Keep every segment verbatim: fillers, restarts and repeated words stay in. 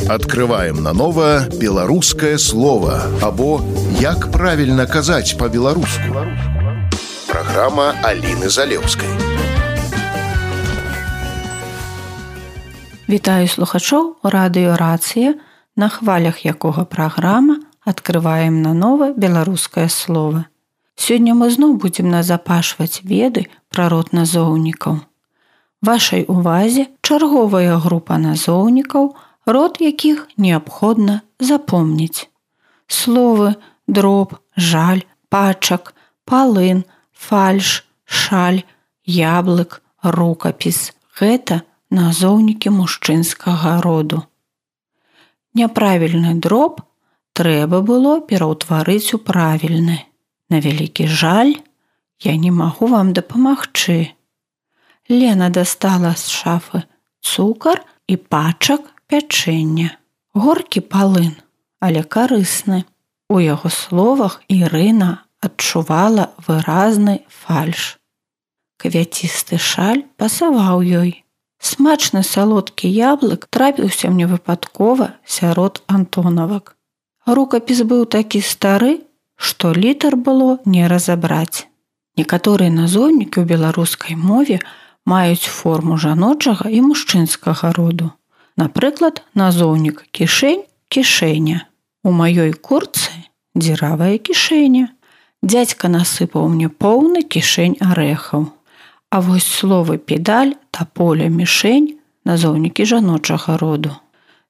Открываем наново белорусское слово або «Як правильно казать по-белорусски». Программа Алины Залевской. Вітаю слухачоў радыё «Рацыя», на хвалях якога праграма «Открываем наново беларускае слово». Сёння мы зноў будзем назапашваць веды пра род назоўнікаў. Вашай увазе чарговая група назоўнікаў, род якіх неабходна запомніць. Словы дроб, жаль, пачак, палын, фальш, шаль, яблык, рукапіс – гэта назоўнікі мужчынскага роду. Няправільны дроб трэба было пераўтварыць у правільны. На вялікі жаль, я не магу вам дапамагчы. Лена дастала з шафы цукар і пачак пячэння. Горкі палын, але карысны. У яго словах Ірына адчувала выразны фальш. Квяцісты шаль пасаваў ёй. Смачны салодкі яблык трапіўся мне выпадкова сярод антонавак. Рукапіс быў такі стары, што літар было не разабраць. Некаторыя назоўнікі ў беларускай мове маюць форму жаночага і мужчынскага роду. Напрыклад, назоўнік кішэнь – кішэня. У маёй куртцы дзіравая кішэня. Дзядзька насыпаў мне поўны кішэнь арэхаў. А вось словы педаль, таполя, мішэнь – назоўнікі жаночага роду.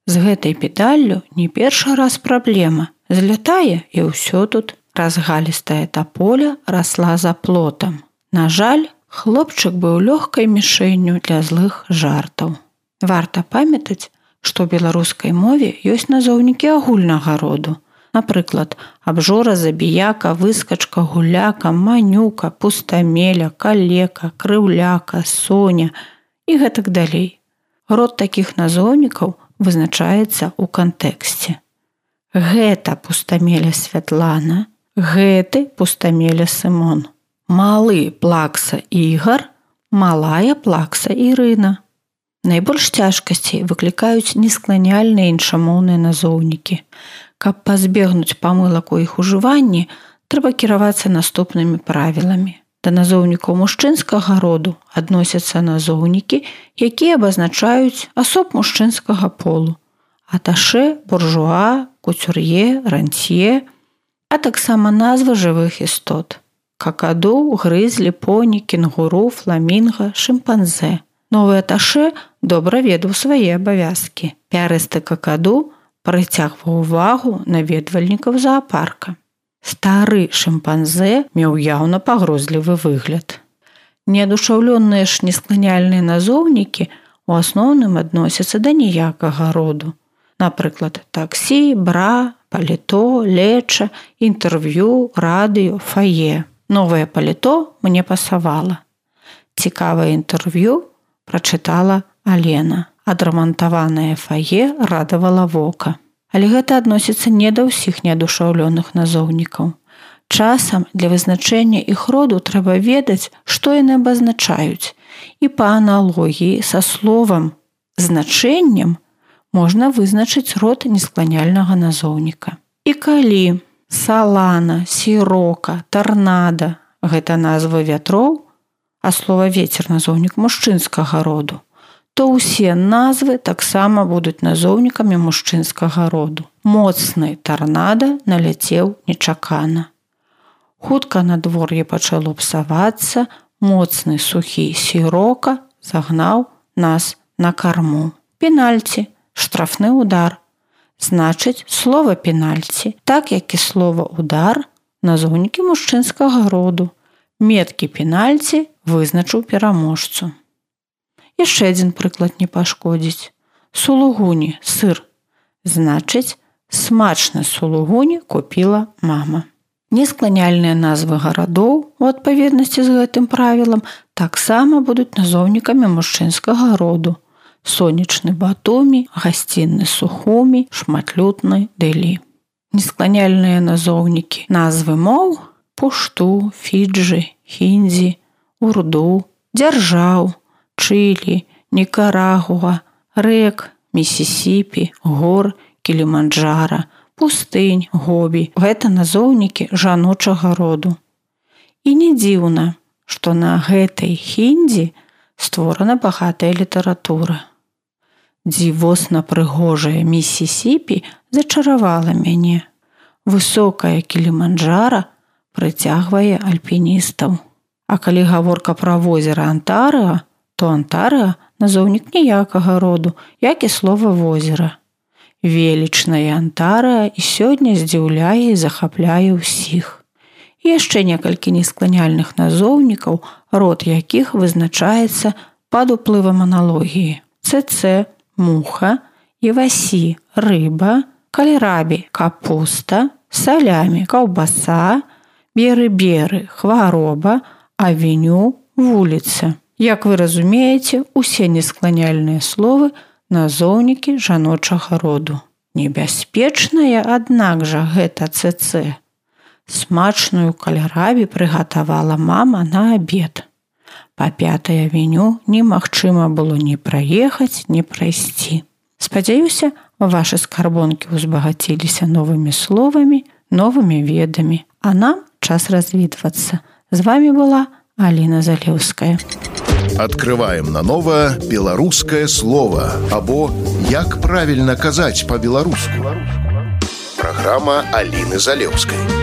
З гэтай педаллю не першы раз праблема. Злятае і ўсё тут. Разгалістая таполя расла за плотам. На жаль, хлопчык быў лёгкай мішэнню для злых жартаў. Варта памятаць, што ў беларускай мове ёсць назоўнікі агульнага роду. Напрыклад, абжора, забіяка, выскачка, гуляка, манюка, пустамеля, калека, крыўляка, соня і гэтак далей. Род такіх назоўнікаў вызначаецца ў кантэксце. Гэта пустамеля Святлана, гэты пустамеля Сымон. Малы плакса Ігар, малая плакса Ірына. Найбольш цяжкасцей выклікаюць нескланяльныя іншамоўныя назоўнікі. Каб пазбегнуць памылак у іх ужыванні, трэба кіравацца наступнымі правіламі. Да назоўнікаў мужчынскага роду адносяцца назоўнікі, якія абазначаюць асоб мужчынскага полу. Аташэ, буржуа, куцюр'е, рантье, а таксама назвы жывых істот. Какаду, грызлі, поні, кенгуру, фламінга, шымпанзэ. Новы аташэ добра ведаў свае абавязкі. Пярысты какаду прыцягваў увагу наведвальнікаў заапарка. Стары шымпанзэ меў яўна пагрозлівы выгляд. Неадушаўлёныя ж нескланяльныя назоўнікі у асноўным адносяцца да ніякага роду. Напрыклад, таксі, бра, паліто, леча, інтэрв'ю, радыё, фае. Новае паліто мне пасавала. Цікавае інтэрв'ю прачытала Алена. Адрамантаванае фае радавала вока. Але гэта адносіцца не да ўсіх неадушаўлёных назоўнікаў. Часам для вызначэння іх роду трэба ведаць, што яны абазначаюць. І па аналогіі са словам «значэннем» можна вызначыць род нескланяльнага назоўніка. І калі салана, сірока, тарнада – гэта назвы вятроў, а слова ветер – назоўнік мужчынскага роду, то ўсе назвы таксама будуць назоўнікамі мужчынскага роду. Моцны тарнада наляцеў нечакана. Хутка надвор'е пачало псавацца, моцны сухі сірока загнаў нас на карму. Пенальці – штрафны удар. Значыць, слова пенальці, так як і слова удар, назоўнікі мужчынскага роду. Меткі пенальці вызначыў пераможцу. Яшчэ адзін прыклад не пашкодзіць. Сулугуні, сыр. Значыць, смачны сулугуні купіла мама. Нескланяльныя назвы гарадоў, у адпаведнасці з гэтым правілам, таксама будуць назоўнікамі мужчынскага роду. Сонечны Батумі, гасцінны Сухумі, шматлютны Дэлі. Нескланяльныя назоўнікі назвы моў – Пушту, Фіджы, Хіндзі, Урду, дзяржаў, Чылі, Нікарагуа, рэк, Місісіпі, гор, Кіліманджара, пустынь, Гобі. Гэта назоўнікі жаночага роду. І не дзіўна, што на гэтай хіндзі створана багатая літаратура. Дзівосна прыгожая Місісіпі зачаравала мяне. Высокая Кіліманджара прыцягвае альпіністаў. А калі гаворка пра возера Антарыа, то Антарыа назоўнік ніякага роду, як і слова возера. Велічная Антарыа і сёння здзіўляе і захапляе ўсіх. І яшчэ некалькі нескланяльных назоўнікаў, род якіх вызначаецца пад уплывам аналогіі. Цэцэ – муха, івасі – рыба, кальрабі – капуста, салямі – каўбаса, беры-беры – хвароба, авеню – вуліца. Як вы разумееце, усе нескланяльныя словы назоўнікі жаночага роду. Небяспечная, аднак жа, гэта цэцэ. Смачную кальрабі прыгатавала мама на абед. Па пятай авеню немагчыма было ні праехаць, ні прайсці. Спадзяюся, вашы скарбонкі ўзбагаціліся новымі словамі, новымі ведамі. А нам час развітвацца. З вами была Аліна Залеўская. Открываем наново беларускае слово або як правільна казаць па-беларуску. Праграма Аліны Залеўскай.